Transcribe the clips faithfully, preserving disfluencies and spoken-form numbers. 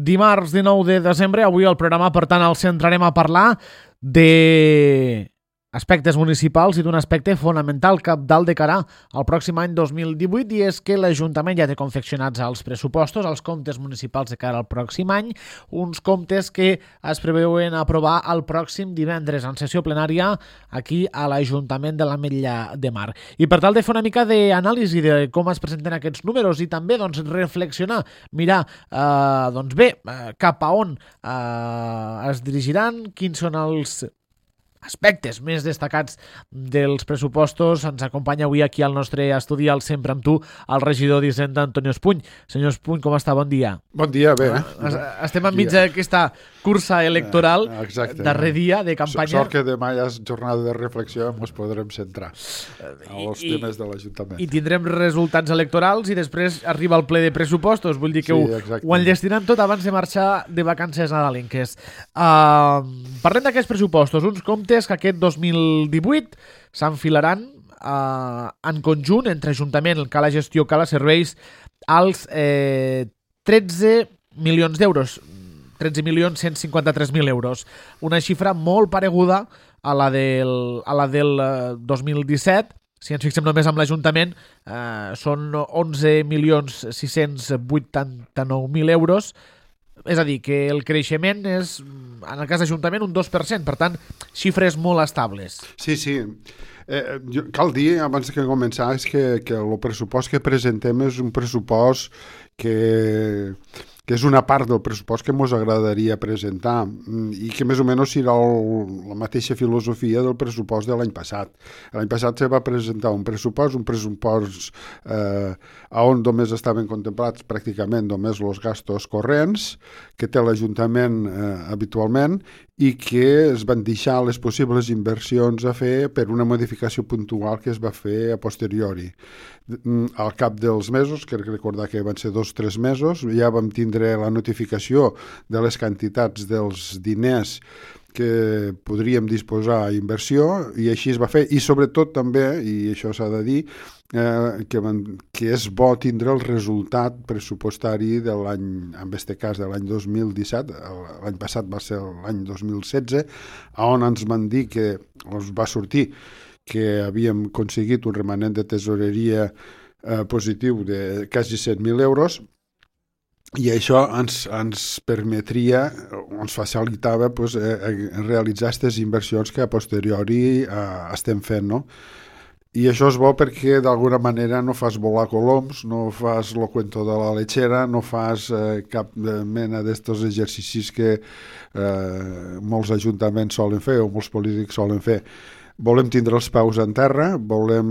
dimarts dinou de desembre. Avui el programa, per tant, el centrarem a parlar de aspectes municipals i d'un aspecte fonamental cabdal de cara al pròxim any dos mil divuit, i és que l'Ajuntament ja té confeccionats els pressupostos, els comptes municipals de cara al pròxim any, uns comptes que es preveuen aprovar el pròxim divendres en sessió plenària aquí a l'Ajuntament de l'Ametlla de Mar. I per tal de fer una mica d'anàlisi de com es presenten aquests números i també doncs, reflexionar, mirar eh, doncs bé, eh, cap a on eh, es dirigiran, quins són els aspectes més destacats dels pressupostos. Ens acompanya avui aquí al nostre estudi, al Sempre amb tu, el regidor d'Hisenda, Antonio Espuny. Senyor Espuny, com està? Bon dia. Bon dia, bé. Eh? Estem enmig d'aquesta cursa electoral, exacte, darrer dia de campanya. Sort que demà ja és jornada de reflexió, ens podrem centrar als temes de l'Ajuntament. I tindrem resultats electorals i després arriba el ple de pressupostos. Vull dir que sí, ho, ho enllestiran tot abans de marxar de vacances nadalenques. Uh, parlem d'aquests pressupostos, uns comptes que aquest dos mil divuit s'enfilaran eh, en conjunt entre Ajuntament, Cala Gestió, Cala Serveis, als eh, tretze milions d'euros, tretze milions cent cinquanta-tres mil euros. Una xifra molt pareguda a la del, a la del eh, dos mil disset. Si ens fixem només amb l'Ajuntament, eh, són onze milions sis-cents vuitanta-nou mil euros. És a dir, que el creixement és, en el cas d'Ajuntament, un dos per cent. Per tant, xifres molt estables. Sí, sí. Eh, jo, cal dir, abans que començar, és que, que el pressupost que presentem és un pressupost que, que és una part del pressupost que ens agradaria presentar i que més o menys serà el, la mateixa filosofia del pressupost de l'any passat. L'any passat se va presentar un pressupost, un pressupost eh, on només estaven contemplats pràcticament només els gastos corrents que té l'Ajuntament eh, habitualment i que es van deixar les possibles inversions a fer per una modificació puntual que es va fer a posteriori. Al cap dels mesos, crec recordar que van ser dos o tres mesos, ja vam tindre la notificació de les quantitats dels diners que podríem disposar a inversió i així es va fer. I sobretot també, i això s'ha de dir, eh, que, van, que és bo tindre el resultat pressupostari de l'any, en aquest cas de l'any dos mil disset, l'any passat va ser l'any dos mil setze, on ens van dir que ens va sortir que havíem aconseguit un remanent de tesoreria eh, positiu de quasi cent mil euros, i això ens, ens permetria, ens facilitava pues, eh, realitzar aquestes inversions que a posteriori eh, estem fent, no? I això és bo perquè d'alguna manera no fas volar coloms, no fas lo cuento de la lechera, no fas eh, cap mena d'estos exercicis que eh, molts ajuntaments solen fer o molts polítics solen fer. Volem tindre els peus en terra, volem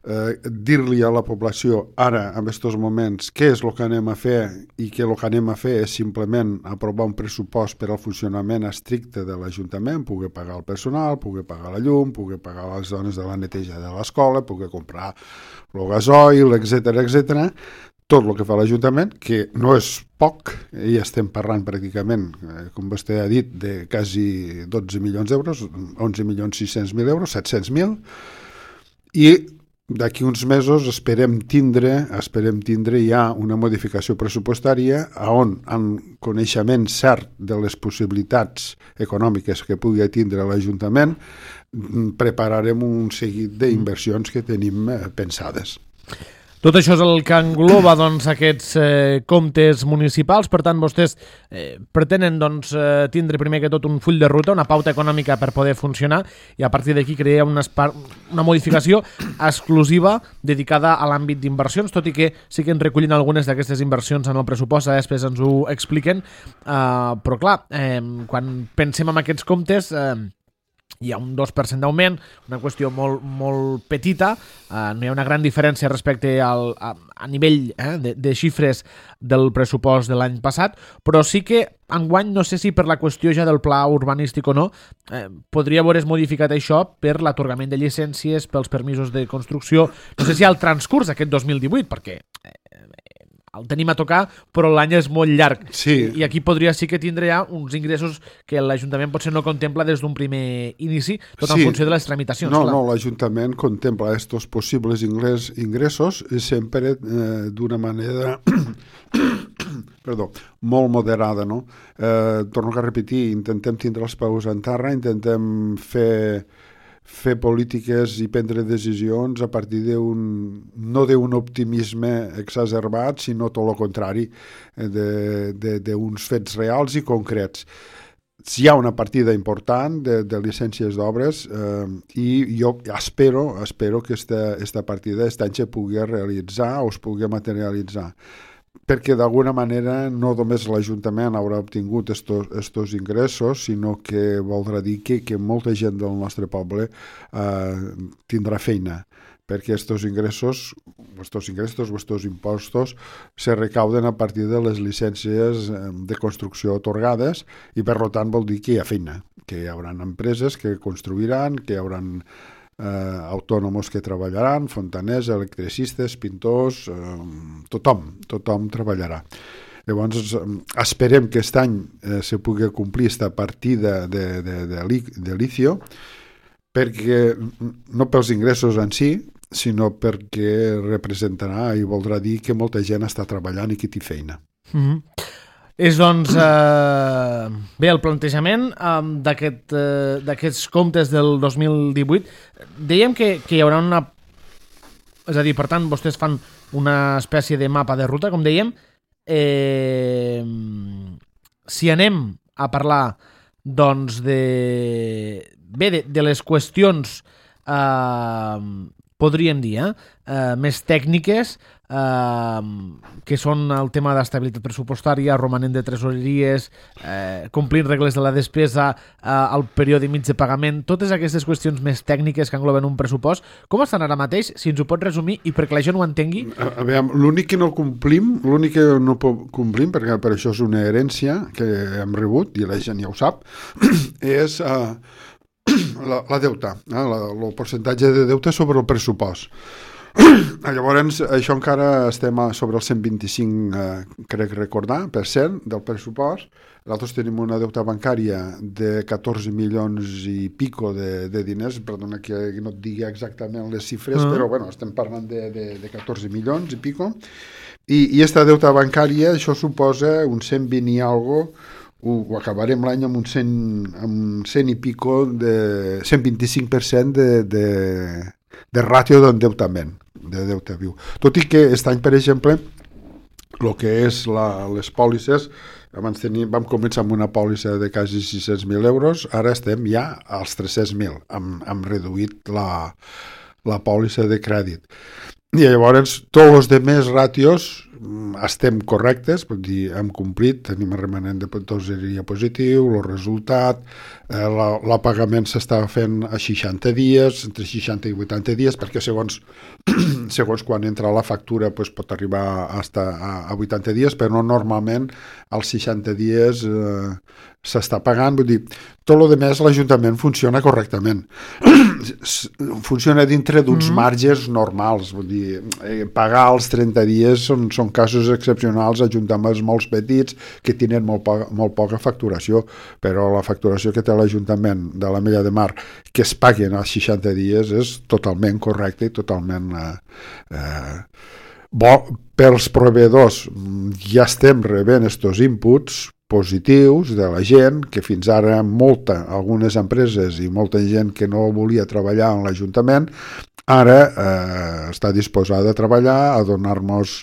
eh, dir-li a la població ara, en aquests moments, què és el que anem a fer i que el que anem a fer és simplement aprovar un pressupost per al funcionament estricte de l'Ajuntament, poder pagar el personal, poder pagar la llum, poder pagar les dones de la neteja de l'escola, poder comprar el gasoil, etcètera, etcètera. Tot el que fa l'Ajuntament, que no és poc, i estem parlant pràcticament, eh, com vostè ha dit, de quasi dotze milions d'euros, onze milions sis-cents mil euros, set-cents mil, i d'aquí uns mesos esperem tindre, esperem tindre ja una modificació pressupostària on, amb coneixement cert de les possibilitats econòmiques que pugui tindre l'Ajuntament, prepararem un seguit d'inversions que tenim eh, pensades. Tot això és el que engloba doncs, aquests eh, comptes municipals. Per tant, vostès eh, pretenen doncs, eh, tindre primer que tot un full de ruta, una pauta econòmica per poder funcionar, i a partir d'aquí crear una, una modificació exclusiva dedicada a l'àmbit d'inversions, tot i que sí que en recullen algunes d'aquestes inversions en el pressupost, després ens ho expliquen. Uh, però clar, eh, quan pensem en aquests comptes... Eh, hi ha un dos per cent d'augment, una qüestió molt, molt petita, eh, no hi ha una gran diferència respecte al, a, a nivell eh, de, de xifres del pressupost de l'any passat, però sí que enguany, no sé si per la qüestió ja del pla urbanístic o no, eh, podria veure's modificat això per l'atorgament de llicències, pels permisos de construcció, no sé si al transcurs d'aquest dos mil divuit, perquè eh, el tenim a tocar, però l'any és molt llarg. Sí. I aquí podria sí que tindre ja uns ingressos que l'Ajuntament potser no contempla des d'un primer inici, tot sí. En funció de les tramitacions. No, clar. no, l'Ajuntament contempla estos possibles ingressos sempre eh, d'una manera perdó, molt moderada, no? Eh, torno a repetir, intentem tindre els peus en terra, intentem fer fer polítiques i prendre decisions a partir d'un, no d'un optimisme exacerbat, sinó tot el contrari, d'uns fets reals i concrets. Hi ha una partida important de, de llicències d'obres eh, i jo espero, espero que aquesta partida aquest any se pugui realitzar o es pugui materialitzar, perquè d'alguna manera no només l'Ajuntament haurà obtingut estos ingressos, sinó que voldrà dir que, que molta gent del nostre poble eh, tindrà feina, perquè estos ingressos, estos ingressos o estos impostos se recauden a partir de les llicències de construcció atorgades i per tant vol dir que hi ha feina, que hi haurà empreses que construiran, que hi haurà eh, autònoms que treballaran, fontaners, electricistes, pintors, eh, tothom, tothom treballarà. Llavors, esperem que aquest any eh, se pugui complir aquesta partida de, de, de, de licio, perquè no pels ingressos en si, sinó perquè representarà i voldrà dir que molta gent està treballant i que té feina. Mm-hmm. És, doncs, eh, bé, el plantejament eh, d'aquest, eh, d'aquests comptes del dos mil divuit. Dèiem que, que hi haurà una... És a dir, per tant, vostès fan una espècie de mapa de ruta, com dèiem. Eh, si anem a parlar, doncs, de... Bé, de, de les qüestions... Eh, podríem dir, eh? Uh, més tècniques, uh, que són el tema d'estabilitat pressupostària, romanent de tresoreries, uh, complir regles de la despesa, uh, el període mig de pagament, totes aquestes qüestions més tècniques que engloben un pressupost, com estan ara mateix? Si ens ho pot resumir i perquè la gent ho entengui. A, a veure, l'únic que no complim, l'únic que no complim, perquè per això és una herència que hem rebut, i la gent ja ho sap, és... Uh, La, la deuta, eh? la, el percentatge de deute sobre el pressupost. Llavors, això encara estem a, sobre el cent vint-i-cinc, eh, crec recordar, per cent del pressupost. Nosaltres tenim una deuta bancària de catorze milions i pico de, de diners, perdona que no et digui exactament les xifres, uh-huh. però bueno, estem parlant de, de, de catorze milions i pico. I, i esta deuta bancària, això suposa un cent vint i algo, ho acabarem l'any amb un cent, amb cent i pico de cent vint-i-cinc per cent de, de, de ràtio d'endeutament, de deute viu. Tot i que aquest any, per exemple, el que és la, les pòlisses, abans tenim, vam començar amb una pòlissa de quasi sis-cents mil euros, ara estem ja als tres-cents mil, hem, hem reduït la, la pòlissa de crèdit. I llavors, tots els demés ràtios estem correctes, vull dir, hem complit, tenim el remanent de tesoreria positiu, el resultat, eh, la, la pagament s'està fent a seixanta dies, entre seixanta i vuitanta dies, perquè segons, segons quan entra la factura pues, pot arribar hasta a, a vuitanta dies, però normalment als seixanta dies eh, s'està pagant, vull dir, tot el demés l'Ajuntament funciona correctament. Funciona dintre d'uns mm. marges normals, vull dir, eh, pagar els trenta dies són, són casos excepcionals, ajuntaments molt petits que tenen molt, poca, molt poca facturació, però la facturació que té l'Ajuntament de l'Ametlla de Mar que es paguen als seixanta dies és totalment correcta i totalment eh, eh, bo. Pels proveïdors ja estem rebent estos inputs positius de la gent, que fins ara molta, algunes empreses i molta gent que no volia treballar en l'Ajuntament, ara eh, està disposada a treballar, a donar-nos,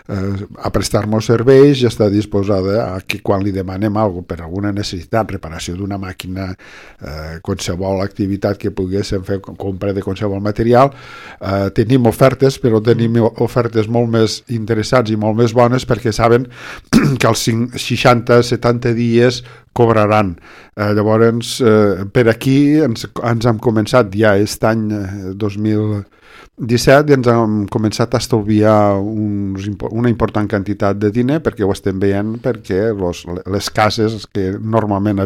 eh, a prestar-nos serveis i està disposada a que quan li demanem alguna per alguna necessitat, reparació d'una màquina, eh, qualsevol activitat que poguéssim fer, compra de qualsevol material, eh, tenim ofertes, però tenim ofertes molt més interessants i molt més bones perquè saben que als seixanta setanta dies cobraran. Eh, llavors, eh, per aquí ens, ens hem començat ja aquest any eh, dos mil disset i ens hem començat a estalviar uns, una important quantitat de diner perquè ho estem veient, perquè los, les cases que normalment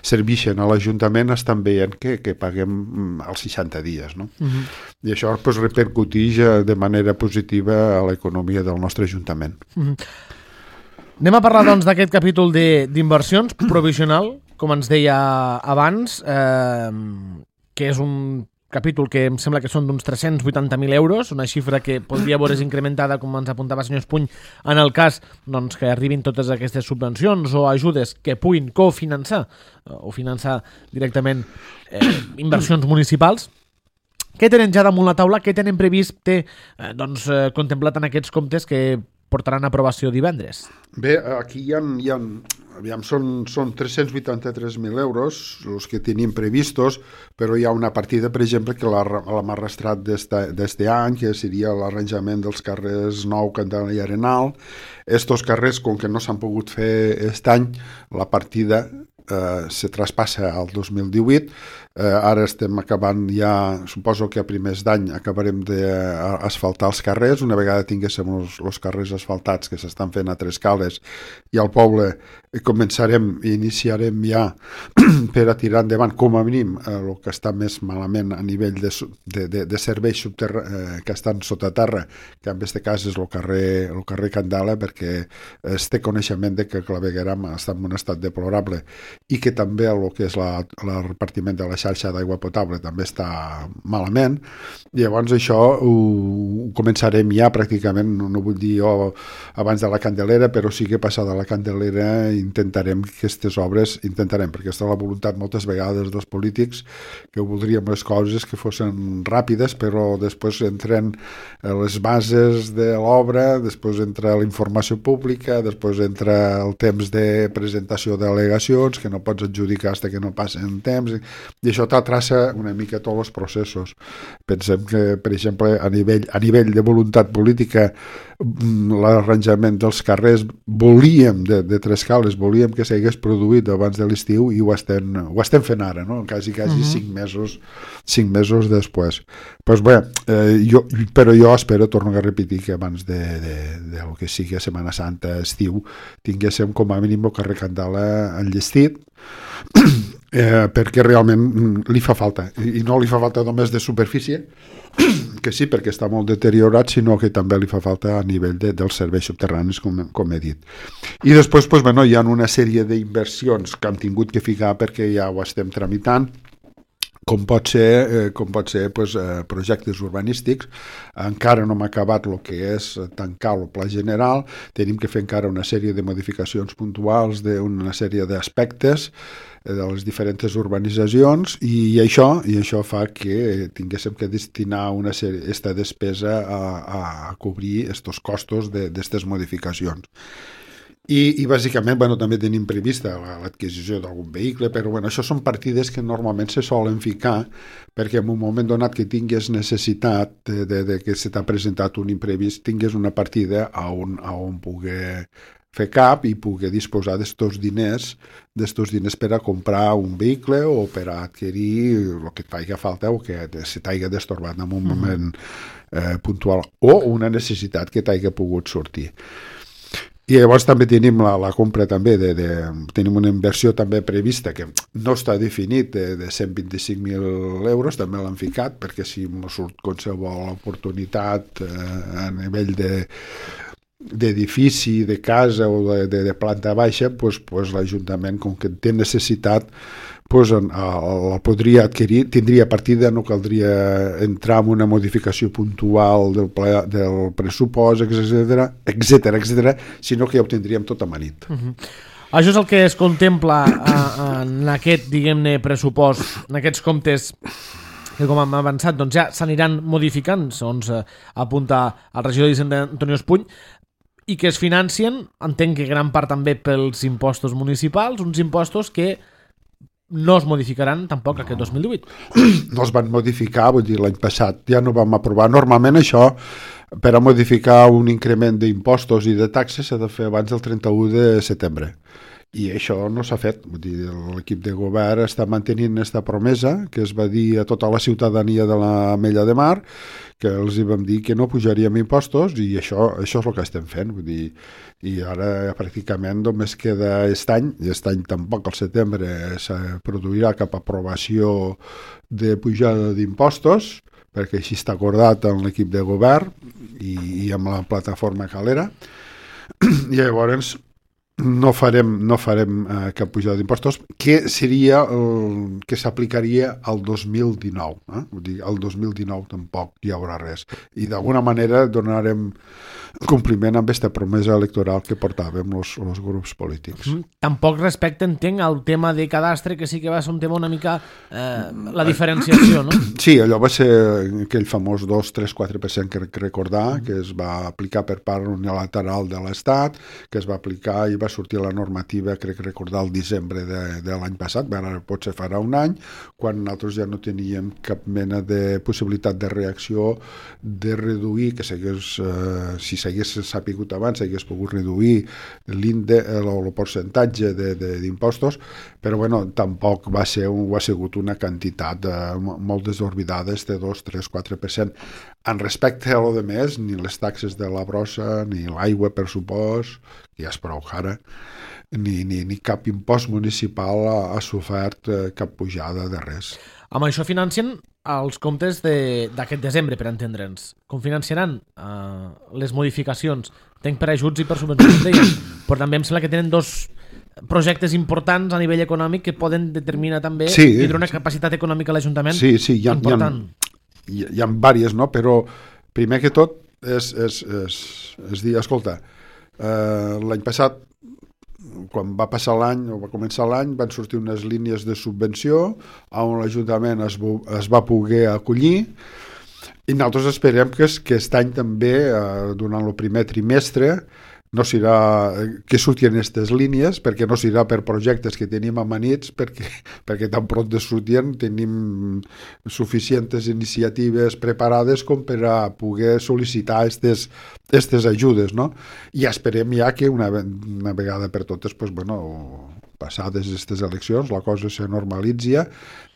serveixen a l'Ajuntament estan veient que, que paguem als seixanta dies. No? Uh-huh. I això pues, repercuteix de manera positiva a l'economia del nostre Ajuntament. Uh-huh. Anem a parlar doncs, d'aquest capítol d'inversions provisional, com ens deia abans, eh, que és un capítol que em sembla que són d'uns tres-cents vuitanta mil euros, una xifra que podria veure's incrementada, com ens apuntava el senyor Espuny, en el cas doncs, que arribin totes aquestes subvencions o ajudes que puguin cofinançar o finançar directament eh, inversions municipals. Què tenen ja damunt la taula? Què tenen previst té, eh, doncs, eh, contemplat en aquests comptes que portaran a aprovació divendres? Bé, aquí hi ha, hi ha aviam, són, són tres-cents vuitanta-tres mil euros els que tenim previstos, però hi ha una partida, per exemple, que l'hem arrastrat d'este any, que seria l'arranjament dels carrers Nou, Candela i Arenal. Estos carrers, com que no s'han pogut fer aquest any, la partida eh, se traspassa al dos mil divuit. Eh, ara estem acabant ja, suposo que a primers d'any acabarem d'asfaltar els carrers. Una vegada tinguéssim els, els carrers asfaltats que s'estan fent a Tres Cales i al poble, començarem i iniciarem ja per a tirar endavant com a mínim eh, el que està més malament a nivell de, de, de, de serveis subterra, eh, que estan sota terra, que en aquest cas és el carrer, el carrer Candela, perquè es té coneixement de que Clavegueram està en un estat deplorable i que també el que és la, la repartiment de la xarxa d'aigua potable també està malament. I llavors això ho, ho començarem ja pràcticament, no, no vull dir jo abans de la Candelera, però sí que passada la Candelera intentarem que aquestes obres, intentarem, perquè està la voluntat moltes vegades dels polítics que voldríem les coses que fossin ràpides, però després entren les bases de l'obra, després entra la informació pública, després entra el temps de presentació d'al·legacions que no pots adjudicar fins que no passen temps, i això t'atraça una mica tots els processos. Pensem que, per exemple, a nivell, a nivell de voluntat política, l'arranjament dels carrers volíem, de, de Tres Cales, volíem que s'hagués produït abans de l'estiu i ho estem, ho estem fent ara, no? Quasi, quasi uh-huh. cinc mesos, cinc mesos després. Pues bé, eh, jo, però jo espero, torno a repetir, que abans de, de, de lo que sigui Setmana Santa, estiu, tinguéssim com a mínim el carrer Candela enllestit, eh, perquè realment li fa falta, i no li fa falta només de superfície, que sí, perquè està molt deteriorat, sinó que també li fa falta a nivell de, dels serveis subterranis, com, com he dit. I després, pues, bueno, hi ha una sèrie d'inversions que han tingut que ficar perquè ja ho estem tramitant, com pot ser, eh, com pot ser pues, eh, projectes urbanístics. Encara no hem acabat el que és tancar el pla general, tenim que fer encara una sèrie de modificacions puntuals d'una sèrie d'aspectes de les diferents urbanitzacions, i això i això fa que tinguéssim que destinar una sèrie, esta despesa a, a cobrir estos costos d'aquestes modificacions. I, i bàsicament, bueno, també tenim prevista l'adquisició d'algun vehicle, però bueno, això són partides que normalment se solen ficar perquè en un moment donat que tingués necessitat de, de, de que se t'ha presentat un imprevist, tingués una partida a on, a on poder fer cap i poder disposar d'estos diners, d'estos diners per a comprar un vehicle o per a adquirir el que t'haiga falta o que se t'haiga destorbat en un moment eh, puntual o una necessitat que t'haiga pogut sortir. I llavors també tenim la, la compra també de, de, tenim una inversió també prevista que no està definit de, de cent vint-i-cinc mil euros, també l'han ficat perquè si no surt qualsevol oportunitat eh, a nivell de d'edifici, de casa o de, de, de planta baixa, pues, pues l'Ajuntament, com que té necessitat, pues, la podria adquirir, tindria partida, no caldria entrar en una modificació puntual del, ple, del pressupost, etcètera, etcètera, etcètera, sinó que ja ho tindríem tot amanit. Uh-huh. Això és el que es contempla en aquest, diguem-ne, pressupost, en aquests comptes que, com hem avançat, doncs ja s'aniran modificant, segons apunta el regidor d'Hisenda Antonio Espuny, i que es financien, entenc que gran part també pels impostos municipals, uns impostos que no es modificaran tampoc no. Aquest dos mil divuit. No es van modificar, vull dir, l'any passat ja no vam aprovar. Normalment això, per a modificar un increment d'impostos i de taxes, s'ha de fer abans del trenta-u de setembre. I això no s'ha fet. Vull dir, l'equip de govern està mantenint aquesta promesa que es va dir a tota la ciutadania de l'Ametlla de Mar, que els hi vam dir que no pujaríem impostos, i això, això és el que estem fent. Vull dir, i ara pràcticament només queda aquest any, i aquest any tampoc al setembre se produirà cap aprovació de pujada d'impostos, perquè així està acordat amb l'equip de govern i, i amb la plataforma Calera. I llavors no farem, no farem eh, cap pujada d'impostos, que seria el que s'aplicaria al dos mil dinou. Eh? Vull dir, al dos mil dinou tampoc hi haurà res. I d'alguna manera donarem compliment amb aquesta promesa electoral que portàvem els grups polítics. Mm, tampoc respecte, entenc, al tema de cadastre, que sí que va ser un tema una mica eh, la diferenciació, no? Sí, allò va ser aquell famós dos, tres, quatre per cent que recordar, que es va aplicar per part unilateral de l'Estat, que es va aplicar i va sortir la normativa, crec recordar, el desembre de, de l'any passat, ara potser farà un any, quan nosaltres ja no teníem cap mena de possibilitat de reacció de reduir, que s'hagués, eh, si s'hagués sapigut abans, s'hagués pogut reduir l'índex, el, el percentatge d'impostos, però bueno, tampoc va ser un, ha sigut una quantitat de, molt desorbitada, de dos, tres, quatre per cent. En respecte a lo de més, ni les taxes de la brossa, ni l'aigua, per supost, que ja és prou cara, ni, ni, ni cap impost municipal ha, ha sofert eh, cap pujada de res. Amb això financien els comptes d'aquest de, desembre, per entendre'ns. Com financiaran eh, les modificacions? Tenc per ajuts i per subvencions, deien, però també em sembla que tenen dos projectes importants a nivell econòmic que poden determinar també sí, i donar una capacitat econòmica a l'Ajuntament sí, sí, hi ha, important. Hi ha, hi ha diverses, no? Però primer que tot és, és, és, és dir, escolta, eh, l'any passat, quan va passar l'any o va començar l'any, van sortir unes línies de subvenció on l'Ajuntament es, es va poder acollir, i nosaltres esperem que, que aquest any també, eh, durant el primer trimestre, no serà que surtin aquestes línies, perquè no serà per projectes que tenim amanits, perquè, perquè tan pront de sortien tenim suficients iniciatives preparades com per a poder sol·licitar aquestes aquestes ajudes, no? I esperem ja que una, una vegada per totes, pues, bueno, passades aquestes eleccions, la cosa se normalitzi,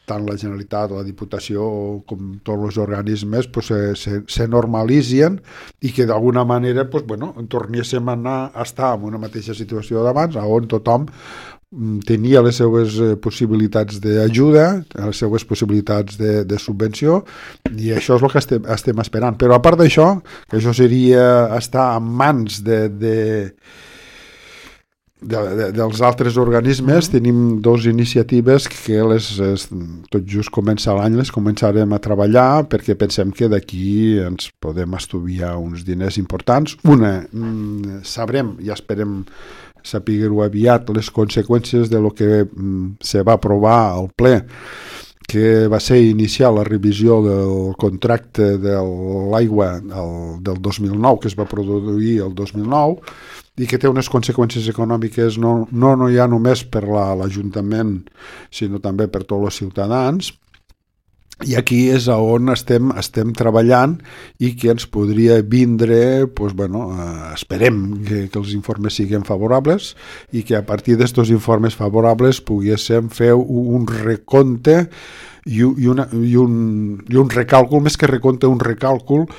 tant la Generalitat, la Diputació com tots els organismes pues, se, se, se normalitzen i que d'alguna manera pues, bueno, tornéssim a, anar, a estar en una mateixa situació d'abans, on tothom tenia les seues possibilitats d'ajuda, les seues possibilitats de, de subvenció, i això és el que estem, estem esperant. Però a part d'això, que això seria estar en mans de... de De, de, dels altres organismes, mm-hmm. tenim dues iniciatives que les, es, tot just comença l'any les començarem a treballar perquè pensem que d'aquí ens podem estudiar uns diners importants. Una, mm, sabrem i esperem saber-ho aviat les conseqüències de lo que mm, se va aprovar al ple, que va ser iniciar la revisió del contracte de l'aigua del dos mil nou, que es va produir el dos mil nou, i que té unes conseqüències econòmiques no, no, no ja només per la, l'Ajuntament, sinó també per tots els ciutadans. I aquí és on estem, estem treballant i que ens podria vindre, pues, bueno, eh, esperem que, que els informes siguin favorables i que a partir d'estos informes favorables poguéssim fer un recompte i, i, una, i, un, i un recàlcul, més que recompte, un recàlcul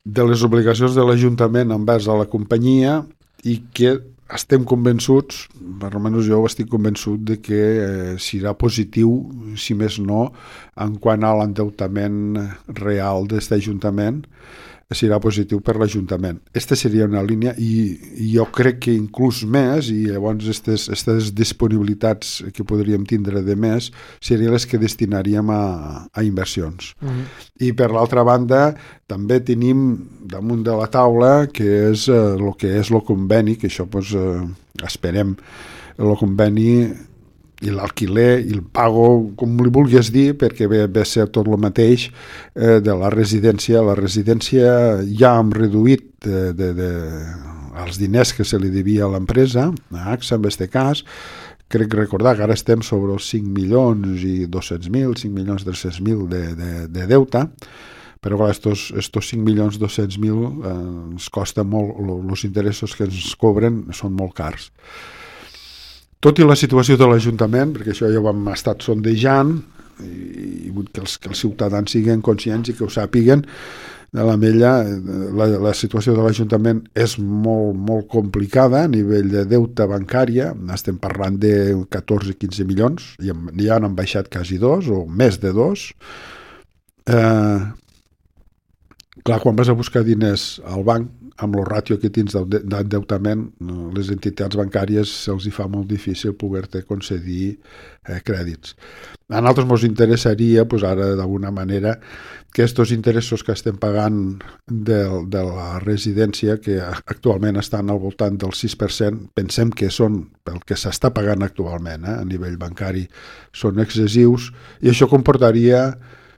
de les obligacions de l'Ajuntament envers a la companyia, i que estem convençuts, per almenys jo estic convençut de que eh, serà positiu, si més no, en quant a l'endeutament real d'aquest Ajuntament, serà positiu per l'Ajuntament. Aquesta seria una línia i, i jo crec que inclús més, i llavors aquestes disponibilitats que podríem tindre de més serien les que destinaríem a, a inversions. Mm-hmm. I per l'altra banda també tenim damunt de la taula que és el eh, que és el conveni, que això pues, eh, esperem el conveni i l'alquiler i el pago, com li vulguis dir, perquè ve, ve a ser tot el mateix eh, de la residència. La residència ja hem reduït de, de, de, els diners que se li devia a l'empresa, a AXA en aquest cas. Crec recordar que ara estem sobre els cinc milions i dos-cents mil, cinc milions tres-cents mil de, de, de deute, però clar, estos, estos cinc milions dos-cents mil eh, ens costa molt, els interessos que ens cobren són molt cars. Tot i la situació de l'Ajuntament, perquè això ja ho hem estat sondejant, i vull que els, que els ciutadans siguin conscients i que ho sàpiguen, de la Mella, la, la situació de l'Ajuntament és molt, molt complicada a nivell de deute bancària, estem parlant de catorze quinze milions, i ja han baixat quasi dos, o més de dos, eh, Clar, quan vas a buscar diners al banc, amb el ràtio que tens d'endeutament, les entitats bancàries se'ls hi fa molt difícil poder-te concedir eh, crèdits. A nosaltres ens interessaria, pues, ara d'alguna manera, que aquests interessos que estem pagant de, de la residència, que actualment estan al voltant del sis per cent, pensem que són, pel que s'està pagant actualment eh, a nivell bancari, són excessius, i això comportaria,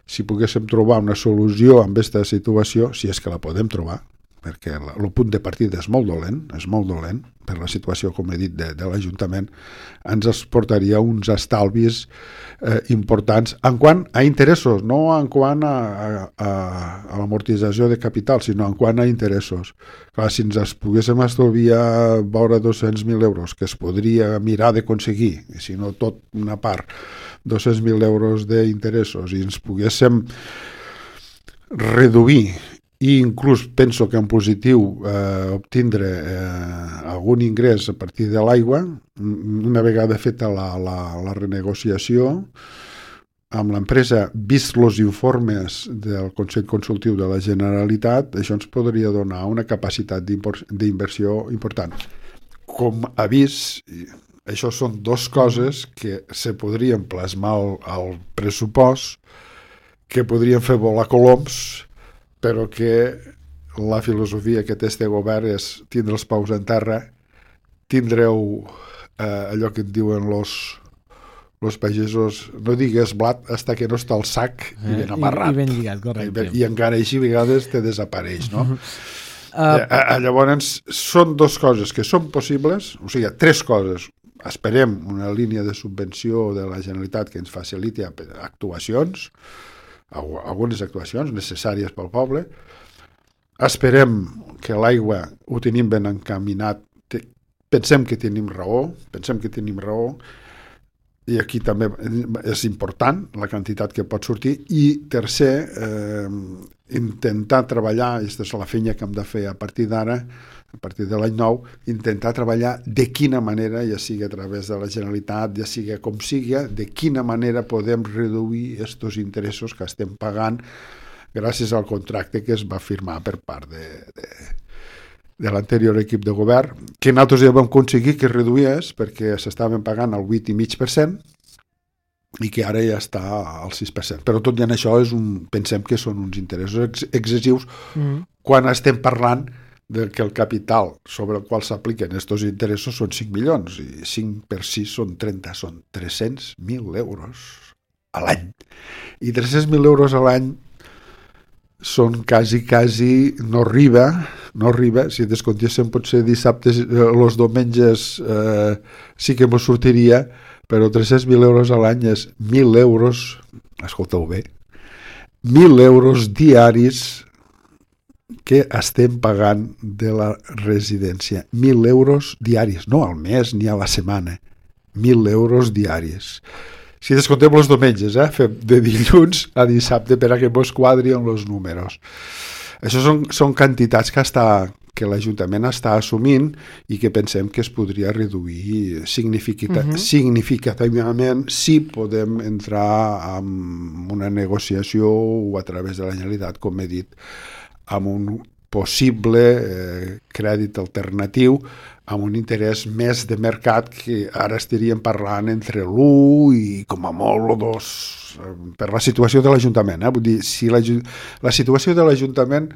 si poguéssim trobar una solució amb aquesta situació, si és que la podem trobar, perquè el punt de partida és molt dolent, és molt dolent, per la situació, com he dit, de, de l'Ajuntament, ens es portaria uns estalvis eh, importants en quant a interessos, no en quant a, a, a l'amortització de capital, sinó en quant a interessos. Clar, si ens poguéssim estalviar vora dos-cents mil euros, que es podria mirar d'aconseguir, si no tot una part, dos-cents mil euros d'interessos, i ens poguéssim reduir, i inclús penso que en positiu eh, obtindre eh, algun ingrés a partir de l'aigua, una vegada feta la, la, la renegociació amb l'empresa, vist els informes del Consell Consultiu de la Generalitat, això ens podria donar una capacitat d'inversió important. Com a vist, això són dues coses que se podrien plasmar al, al pressupost, que podrien fer volar coloms, però que la filosofia que té este govern és tindre els peus en terra, tindreu eh, allò que et diuen los, los pagesos, no digues blat hasta que no està el sac eh, i ben amarrat. I, i ben lligat, correcte. I, i encara així a vegades te desapareix, no? Uh, eh, llavors, són dues coses que són possibles, o sigui, tres coses. Esperem una línia de subvenció de la Generalitat que ens faciliti actuacions, algunes actuacions necessàries pel poble. Esperem que l'aigua ho tenim ben encaminat. Pensem que tenim raó, pensem que tenim raó, i aquí també és important la quantitat que pot sortir. I tercer, eh, intentar treballar, aquesta és la feina que hem de fer a partir d'ara, a partir de l'any nou, intentar treballar de quina manera, ja sigui a través de la Generalitat, ja sigui com sigui, de quina manera podem reduir aquests interessos que estem pagant gràcies al contracte que es va firmar per part de, de, de l'anterior equip de govern, que nosaltres ja vam aconseguir que es reduís perquè s'estaven pagant el vuit coma cinc per cent i que ara ja està al sis per cent. Però tot i en això és un, pensem que són uns interessos ex excessius mm. quan estem parlant de que el capital sobre el qual s'apliquen aquests interessos són cinc milions, i cinc per sis són trenta, són tres-cents mil euros a l'any. I tres-cents mil euros a l'any són quasi, quasi, no arriba, no arriba, si descontéssim potser dissabtes, els diumenges eh, sí que mos sortiria, però tres-cents mil euros a l'any és mil euros, escolteu bé, mil euros diaris que estem pagant de la residència. Mil euros diaris, no al mes ni a la setmana, mil euros diaris. Si descontem els diumenges, eh? Fem de dilluns a dissabte per a que mos quadrien els números. Això són, són quantitats que, està, que l'Ajuntament està assumint i que pensem que es podria reduir significativa, uh-huh. significativament si podem entrar en una negociació o a través de la Generalitat, com he dit, amb un possible eh, crèdit alternatiu amb un interès més de mercat que ara estaríem parlant entre l'u i com a molt o dos eh, per la situació de l'Ajuntament. Eh? Vull dir, si la, la situació de l'Ajuntament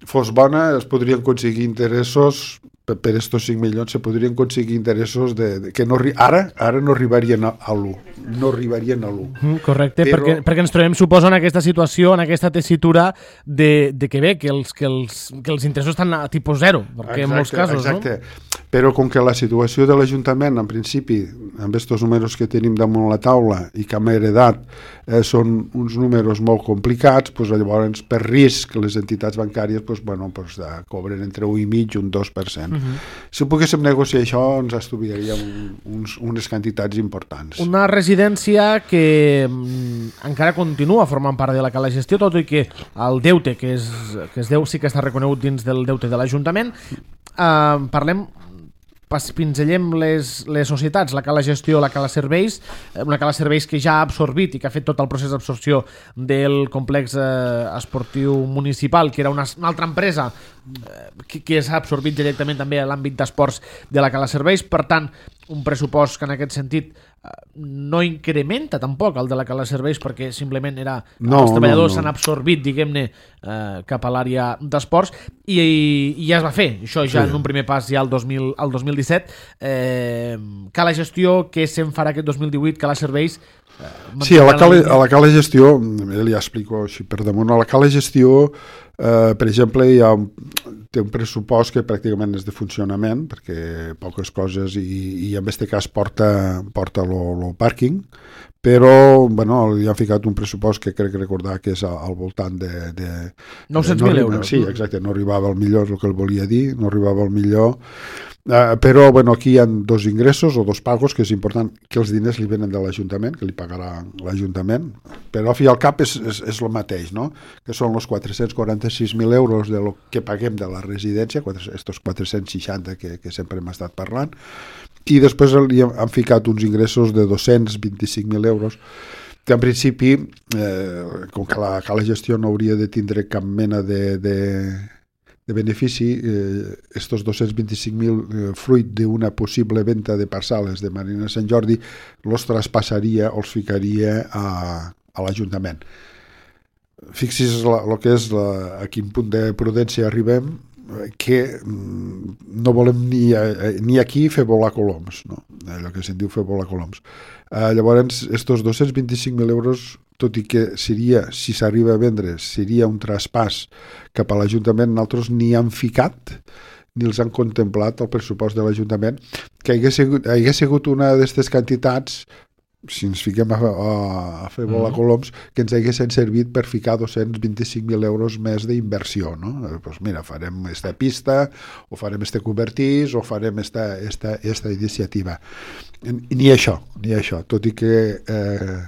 fos bona, es podrien aconseguir interessos per, per estos cinc milions, se podrien aconseguir interessos de, de, que no, ara, ara no arribarien a, a l'u. No arribarien a l'u. Mm, correcte, però... perquè, perquè ens trobem, suposo, en aquesta situació, en aquesta tessitura de, de que bé, que els, que, els, que els interessos estan a tipus zero, perquè exacte, en molts casos, exacte. no? Però com que la situació de l'Ajuntament, en principi, amb aquests números que tenim damunt la taula i que hem heredat, eh, són uns números molt complicats, doncs llavors per risc les entitats bancàries doncs, bueno, doncs, eh, cobren entre un i mig i un dos per cent. Uh-huh. Si poguéssim negociar això, ens estudiaríem uns, unes quantitats importants. Una residència que mm, encara continua formant part de la cala gestió, tot i que el deute que es, que es deu sí que està reconegut dins del deute de l'Ajuntament. Uh, parlem pinzellem les, les societats, la Cala Gestió, la Cala Serveis, una Cala Serveis que ja ha absorbit i que ha fet tot el procés d'absorció del complex eh, esportiu municipal, que era una, una altra empresa eh, que, que s'ha absorbit directament també a l'àmbit d'esports de la Cala Serveis. Per tant, un pressupost que en aquest sentit no incrementa tampoc el de la Cala Serveis, perquè simplement era no, els treballadors no, no. s'han absorbit, diguem-ne, eh, cap a l'àrea d'esports i, i ja es va fer, això ja sí. En un primer pas ja el dos mil, el dos mil disset. eh, Cala Gestió, què se'n farà aquest dos mil divuit? Cala Serveis eh, sí, a la Cala, a la Cala Gestió ja explico així per damunt, a la Cala Gestió eh, per exemple hi ha té un pressupost que pràcticament és de funcionament, perquè poques coses, i, i en aquest cas porta, porta el pàrquing, però bueno, li han ficat un pressupost que crec recordar que és al voltant de... de nou-cents mil euros. Sí, exacte, no arribava al millor, és el que el volia dir, no arribava al millor. Uh, però bueno, aquí hi ha dos ingressos o dos pagos, que és important que els diners li venen de l'Ajuntament, que li pagarà l'Ajuntament, però al fi i al cap és, és, és el mateix, no? Que són els quatre-cents quaranta-sis mil euros de lo que paguem de la residència, estos quatre-cents seixanta que, que sempre hem estat parlant, i després li han ficat uns ingressos de dos-cents vint-i-cinc mil euros, que en principi, eh, com que la, que la gestió no hauria de tindre cap mena de... de de benefici, eh, estos dos-cents vint-i-cinc mil eh, fruit d'una possible venda de parcel·les de Marina Sant Jordi els traspassaria o els ficaria a, a l'Ajuntament. Fixi's el que és la, a quin punt de prudència arribem, que no volem ni, ni aquí fer volar coloms, no? Allò que se'n diu fer volar coloms. Eh, llavors, estos dos-cents vint-i-cinc mil euros, tot i que seria, si s'arriba a vendre, seria un traspàs cap a l'Ajuntament, nosaltres ni han ficat ni els han contemplat el pressupost de l'Ajuntament, que hagués sigut, hagués sigut una d'aquestes quantitats, si ens fiquem a, a, a fer volar mm. coloms, que ens haguessin servit per ficar dos-cents vint-i-cinc mil euros més d'inversió, no? Pues mira, farem esta pista, o farem este cobertís, o farem esta, esta, esta iniciativa. Ni això, ni això, tot i que eh,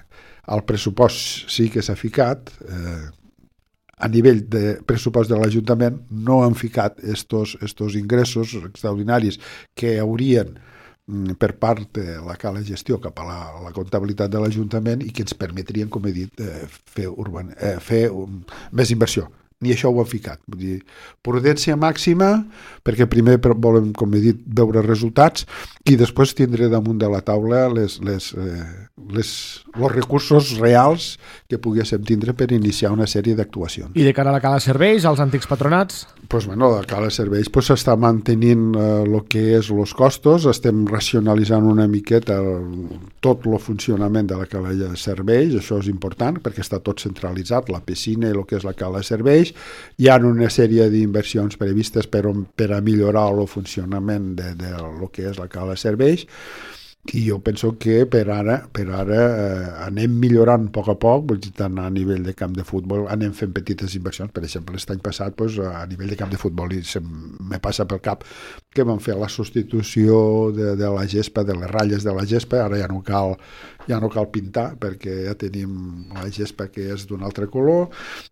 el pressupost sí que s'ha ficat, eh, a nivell de pressupost de l'Ajuntament no han ficat estos, estos ingressos extraordinaris que haurien per part de la Cala Gestió cap a la, a la comptabilitat de l'Ajuntament i que ens permetrien, com he dit, eh, fer, urban, eh, fer um, més inversió. Ni això ho han ficat. Vull dir, prudència màxima, perquè primer volem, com he dit, veure resultats i després tindre damunt de la taula les, les, eh, les, els recursos reals que poguéssim tindre per iniciar una sèrie d'actuacions. I de cara a la Cala Serveis, als antics patronats? Pues, bueno, la Cala Serveis pues, s'està mantenint el eh, que és els costos, estem racionalitzant una miqueta el, tot el funcionament de la Cala Serveis, això és important perquè està tot centralitzat, la piscina i el que és la Cala Serveis. Hi ha una sèrie d'inversions previstes per, per a millorar el funcionament de, de lo que és la Cala Serveis i jo penso que per ara, per ara eh, anem millorant a poc a poc, vull dir, tant a nivell de camp de futbol anem fent petites inversions, per exemple l'any passat pues, a nivell de camp de futbol i se me passa pel cap que vam fer la substitució de, de la gespa, de les ratlles de la gespa, ara ja no cal ja no cal pintar perquè ja tenim la gespa que és d'un altre color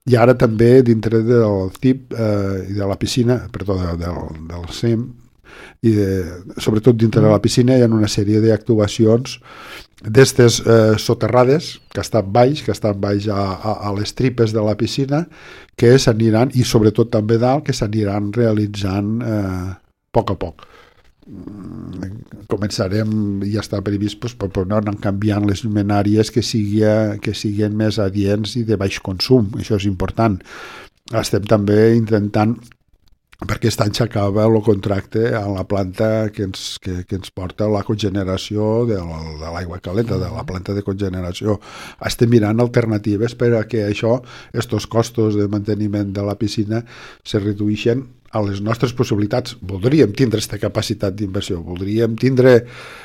i ara també dintre del C I P eh, i de la piscina, perdó, de, del, del C E M i de, sobretot dintre de la piscina hi ha una sèrie d'actuacions d'estes eh, soterrades que estan baix, que estan baix a, a, a les tripes de la piscina que s'aniran, i sobretot també dalt, que s'aniran realitzant eh, a poc a poc. Començarem, ja està previst pues, per, per anar canviant les llumenàries que, sigui, que siguin més adients i de baix consum, això és important. Estem també intentant, perquè aquest any s'acaba el contracte a la planta que ens, que, que ens porta la cogeneració de l'aigua calenta, de la planta de cogeneració. Estem mirant alternatives per a que això, estos costos de manteniment de la piscina se redueixen a les nostres possibilitats. Voldríem tindre aquesta capacitat d'inversió, voldríem tindre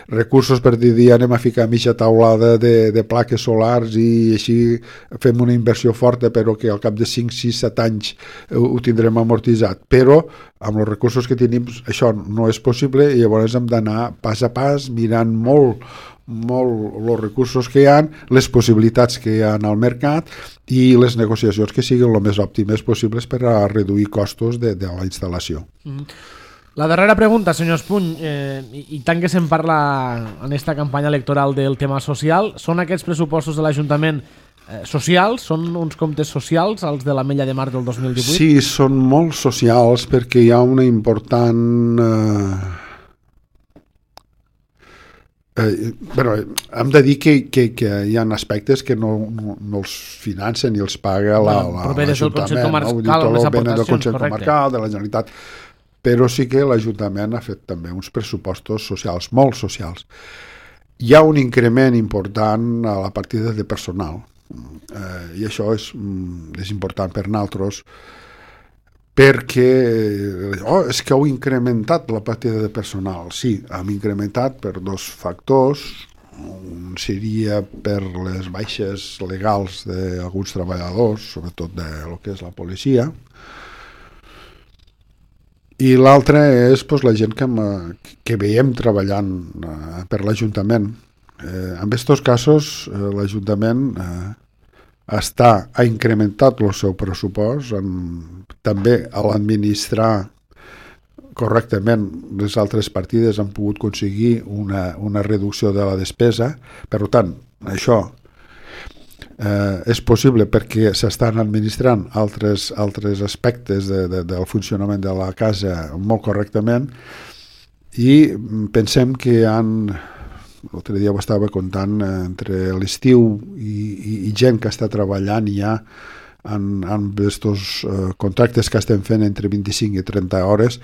recursos per dir, anem a ficar mitja taulada de, de plaques solars i així fem una inversió forta però que al cap de cinc, sis, set anys ho, ho tindrem amortitzat. Però amb els recursos que tenim això no és possible i llavors hem d'anar pas a pas mirant molt molt els recursos que hi ha, les possibilitats que hi ha al mercat i les negociacions que siguin el més òptimes possibles per a reduir costos de, de la instal·lació. Mm. La darrera pregunta, senyor Espuny, eh, i, i tant que se'n parla en esta campanya electoral del tema social, són aquests pressupostos de l'Ajuntament eh, socials? Són uns comptes socials, els de l'Ametlla de Mar del dos mil divuit? Sí, són molt socials perquè hi ha una important... Eh... Eh, bueno, hem de dir que, que, que hi ha aspectes que no, no, no els financen ni els paga la, la, l'Ajuntament, no? Vull dir, tot el venen del Consell Comarcal, de la Generalitat, però sí que l'Ajuntament ha fet també uns pressupostos socials, molt socials. Hi ha un increment important a la partida de personal, eh, i això és, és important per nosaltres, perquè oh, és que heu incrementat la partida de personal. Sí, hem incrementat per dos factors. Un seria per les baixes legals d'alguns treballadors, sobretot de lo que és la policia, i l'altre és pues, la gent que, que veiem treballant eh, per l'Ajuntament. Eh, en aquests casos, eh, l'Ajuntament eh, està, ha incrementat el seu pressupost, en, també a l'administrar correctament les altres partides han pogut aconseguir una, una reducció de la despesa. Per tant, això eh, és possible perquè s'estan administrant altres, altres aspectes de, de, del funcionament de la casa molt correctament, i pensem que han... L'altre dia ho estava contant, entre l'estiu i, i, i gent que està treballant ja en, en estos eh, contractes que estem fent entre vint-i-cinc i trenta hores,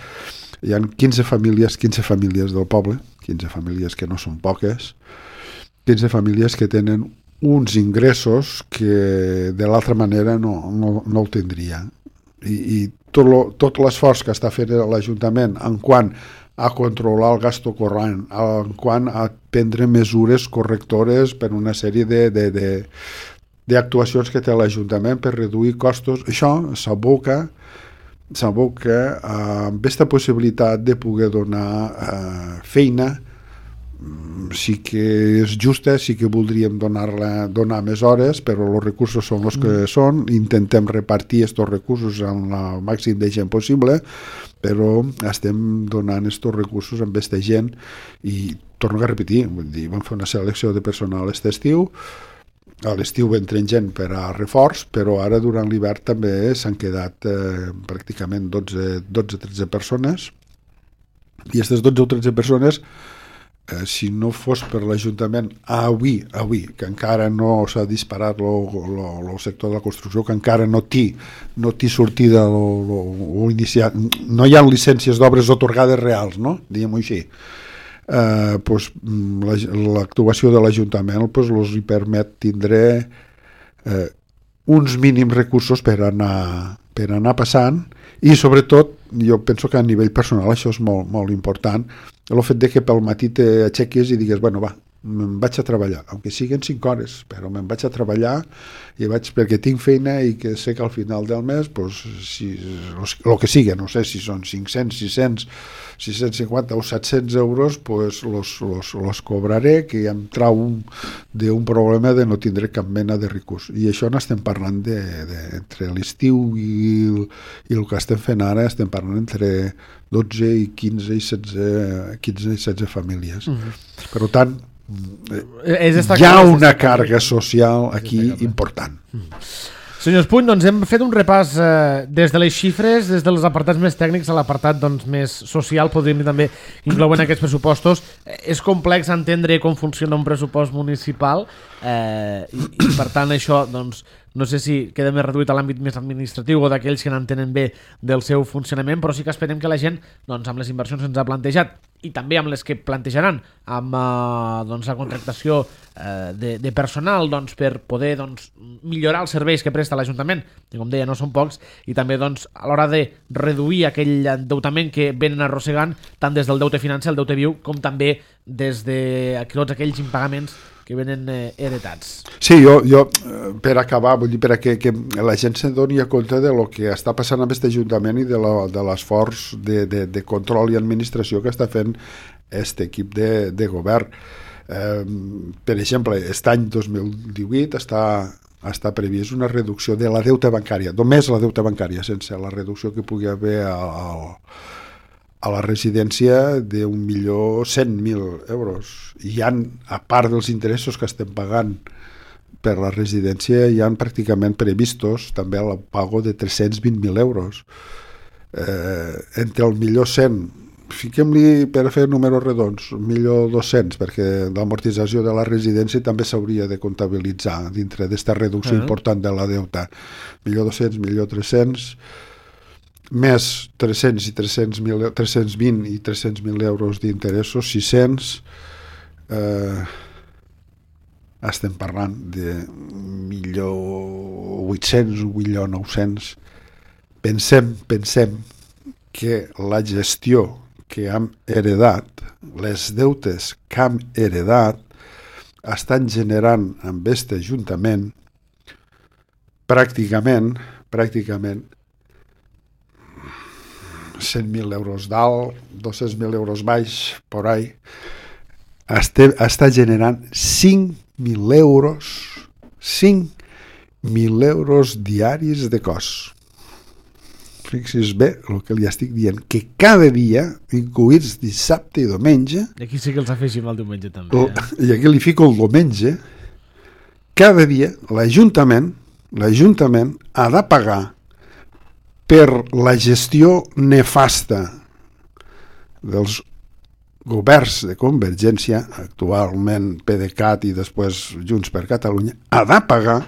hi ha quinze famílies, quinze famílies del poble, quinze famílies que no són poques, quinze famílies que tenen uns ingressos que de l'altra manera no, no, no el tindrien. I, i tot, lo, tot l'esforç que està fent l'Ajuntament en quant a controlar el gasto corrent, en quant a prendre mesures correctores per una sèrie de, de, de, d'actuacions que té l'Ajuntament per reduir costos, això s'aboca s'aboca amb aquesta possibilitat de poder donar eh, feina. Sí que és justa, sí que voldríem donar-la, donar més hores, però els recursos són els que són, intentem repartir aquests recursos amb el màxim de gent possible, però estem donant aquests recursos amb aquesta gent, i torno a repetir, vull dir, vam fer una selecció de personal aquest estiu, a l'estiu entren gent per a reforç, però ara durant l'hivern també s'han quedat eh, pràcticament dotze a tretze persones, i aquestes dotze o tretze persones, Eh, si no fos per l'Ajuntament avui, avui que encara no s'ha disparat el sector de la construcció, que encara no té no té sortida lo, lo, o iniciat, no hi ha llicències d'obres otorgades reals, no? Diguem-ho així, eh, pues, l'actuació de l'Ajuntament pues, els hi permet tindre eh, uns mínims recursos per anar, per anar passant, i sobretot jo penso que a nivell personal això és molt, molt important, el fet de que pel matí t'aixequis i digues, bueno, va, me'n vaig a treballar, aunque siguin cinc hores, però me'n vaig a treballar i vaig perquè tinc feina i que sé que al final del mes, pues, si, el que sigui, no sé si són cinc-cents, sis-cents, sis-cents cinquanta o set-cents euros, pues los, los, los cobraré, que ja em trau d'un problema de no tindre cap mena de recurs. I això n'estem parlant de, de, entre l'estiu i, i el que estem fent ara, estem parlant entre dotze i quinze i setze, quinze i setze famílies. Mm-hmm. Per tant, hi ha una càrrega social aquí important. Senyor Espuny, doncs hem fet un repàs eh, des de les xifres, des dels apartats més tècnics a l'apartat doncs, més social, podríem dir també inclouen aquests pressupostos. Eh, és complex entendre com funciona un pressupost municipal eh, i, i per tant això doncs, no sé si queda més reduït a l'àmbit més administratiu o d'aquells que n'entenen bé del seu funcionament, però sí que esperem que la gent, doncs, amb les inversions que ens ha plantejat i també amb les que plantejaran amb eh, doncs, la contractació eh, de, de personal doncs, per poder doncs, millorar els serveis que presta l'Ajuntament, que com deia no són pocs, i també doncs, a l'hora de reduir aquell endeutament que venen arrossegant tant des del deute financer, el deute viu, com també des de tots aquells impagaments que venen eh, heretats. Sí, jo, jo per acabar, vull dir, per a que, que la gent se'n doni a compte de lo que està passant amb aquest Ajuntament i de, la, de l'esforç de, de, de control i administració que està fent aquest equip de, de govern. Eh, per exemple, aquest any dos mil divuit està, està previst una reducció de la deuta bancària, només la deuta bancària, sense la reducció que pugui haver al, a la residència d'un milió cent mil euros. I hi ha, a part dels interessos que estem pagant per la residència, hi ha pràcticament previstos també el pago de tres-cents vint mil euros. Eh, entre el milió cent, fiquem-li per fer números redons, un milió dos-cents, perquè l'amortització de la residència també s'hauria de comptabilitzar dintre d'esta reducció uh-huh. important de la deuta. milió dos-cents, milió tres-cents, més tres-cents i tres-cents mil, tres-cents vint i tres-cents mil euros d'interessos, sis-cents, eh, estem parlant de milió vuit-cents, un milió nou-cents. Pensem, pensem que la gestió que hem heredat, les deutes que hem heredat, estan generant amb aquest ajuntament pràcticament, pràcticament cent mil euros dalt, dos-cents mil euros baix, por ahí, este, està generant cinc mil euros, cinc mil euros diaris de cost. Fixi's bé el que li estic dient, que cada dia, incluïts dissabte i diumenge, i aquí sí que els afegim el diumenge també, eh? I aquí li fico el diumenge, cada dia l'Ajuntament, l'Ajuntament ha de pagar per la gestió nefasta dels governs de Convergència, actualment PDeCAT i després Junts per Catalunya, ha de pagar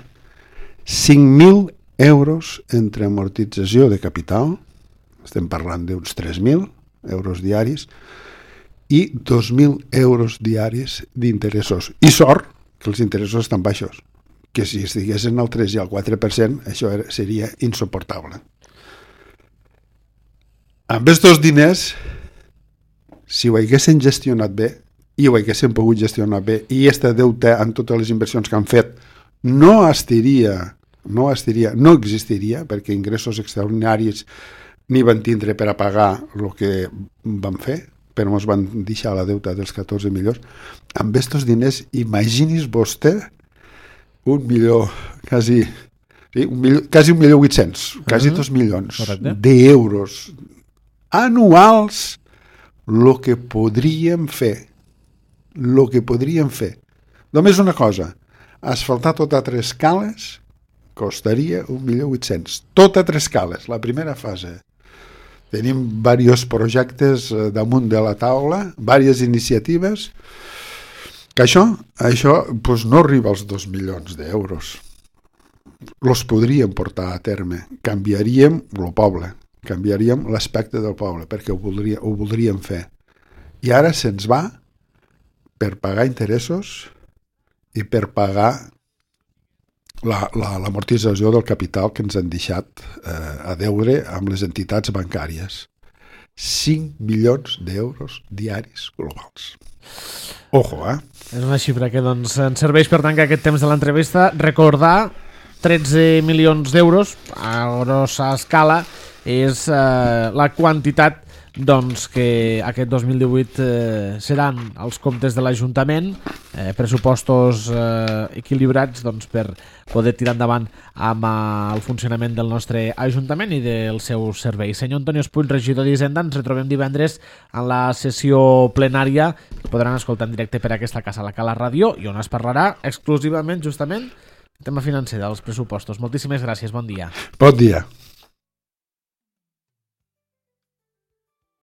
cinc mil euros entre amortització de capital, estem parlant d'uns tres mil euros diaris, i dos mil euros diaris d'interessos. I sort que els interessos estan baixos, que si estiguessin al tres i al quatre per cent això era, seria insuportable. Amb aquests diners, si ho haguessin gestionat bé, i ho haguessin pogut gestionar bé, i aquesta deute amb totes les inversions que han fet no estiria, no estiria, no existiria, perquè ingressos extraordinaris ni van tindre per a pagar el que van fer, però ens van deixar la deuta dels catorze milions. Amb aquests diners, imagini's vostè un milió, quasi, sí, un milió, quasi un milió vuit-cents, quasi uh-huh. dos milions d'euros anuals, el que podríem fer, el que podríem fer. Només una cosa, asfaltar tot a tres cales costaria un milió vuit-cents. Tot a tres cales, la primera fase. Tenim diversos projectes damunt de la taula, diverses iniciatives, que això, això doncs no arriba als dos milions d'euros. Los podríem portar a terme, canviaríem el poble, canviaríem l'aspecte del poble, perquè ho, voldria, ho voldríem fer. I ara se'ns va per pagar interessos i per pagar la, la, l'amortització del capital que ens han deixat eh, a deure amb les entitats bancàries. cinc milions d'euros diaris globals. Ojo, eh? És una xifra que doncs, ens serveix per tancar aquest temps de l'entrevista. Recordar, tretze milions d'euros a grossa escala és eh, la quantitat doncs, que aquest dos mil divuit eh, seran els comptes de l'Ajuntament, eh, pressupostos eh, equilibrats doncs, per poder tirar endavant amb eh, el funcionament del nostre Ajuntament i dels seus serveis. Senyor Antonio Espuny, regidor d'Hisenda, ens retrobem divendres en la sessió plenària que podran escoltar en directe per aquesta casa, la Cala Ràdio, i on es parlarà exclusivament, justament, el tema financer dels pressupostos. Moltíssimes gràcies, bon dia. Bon dia.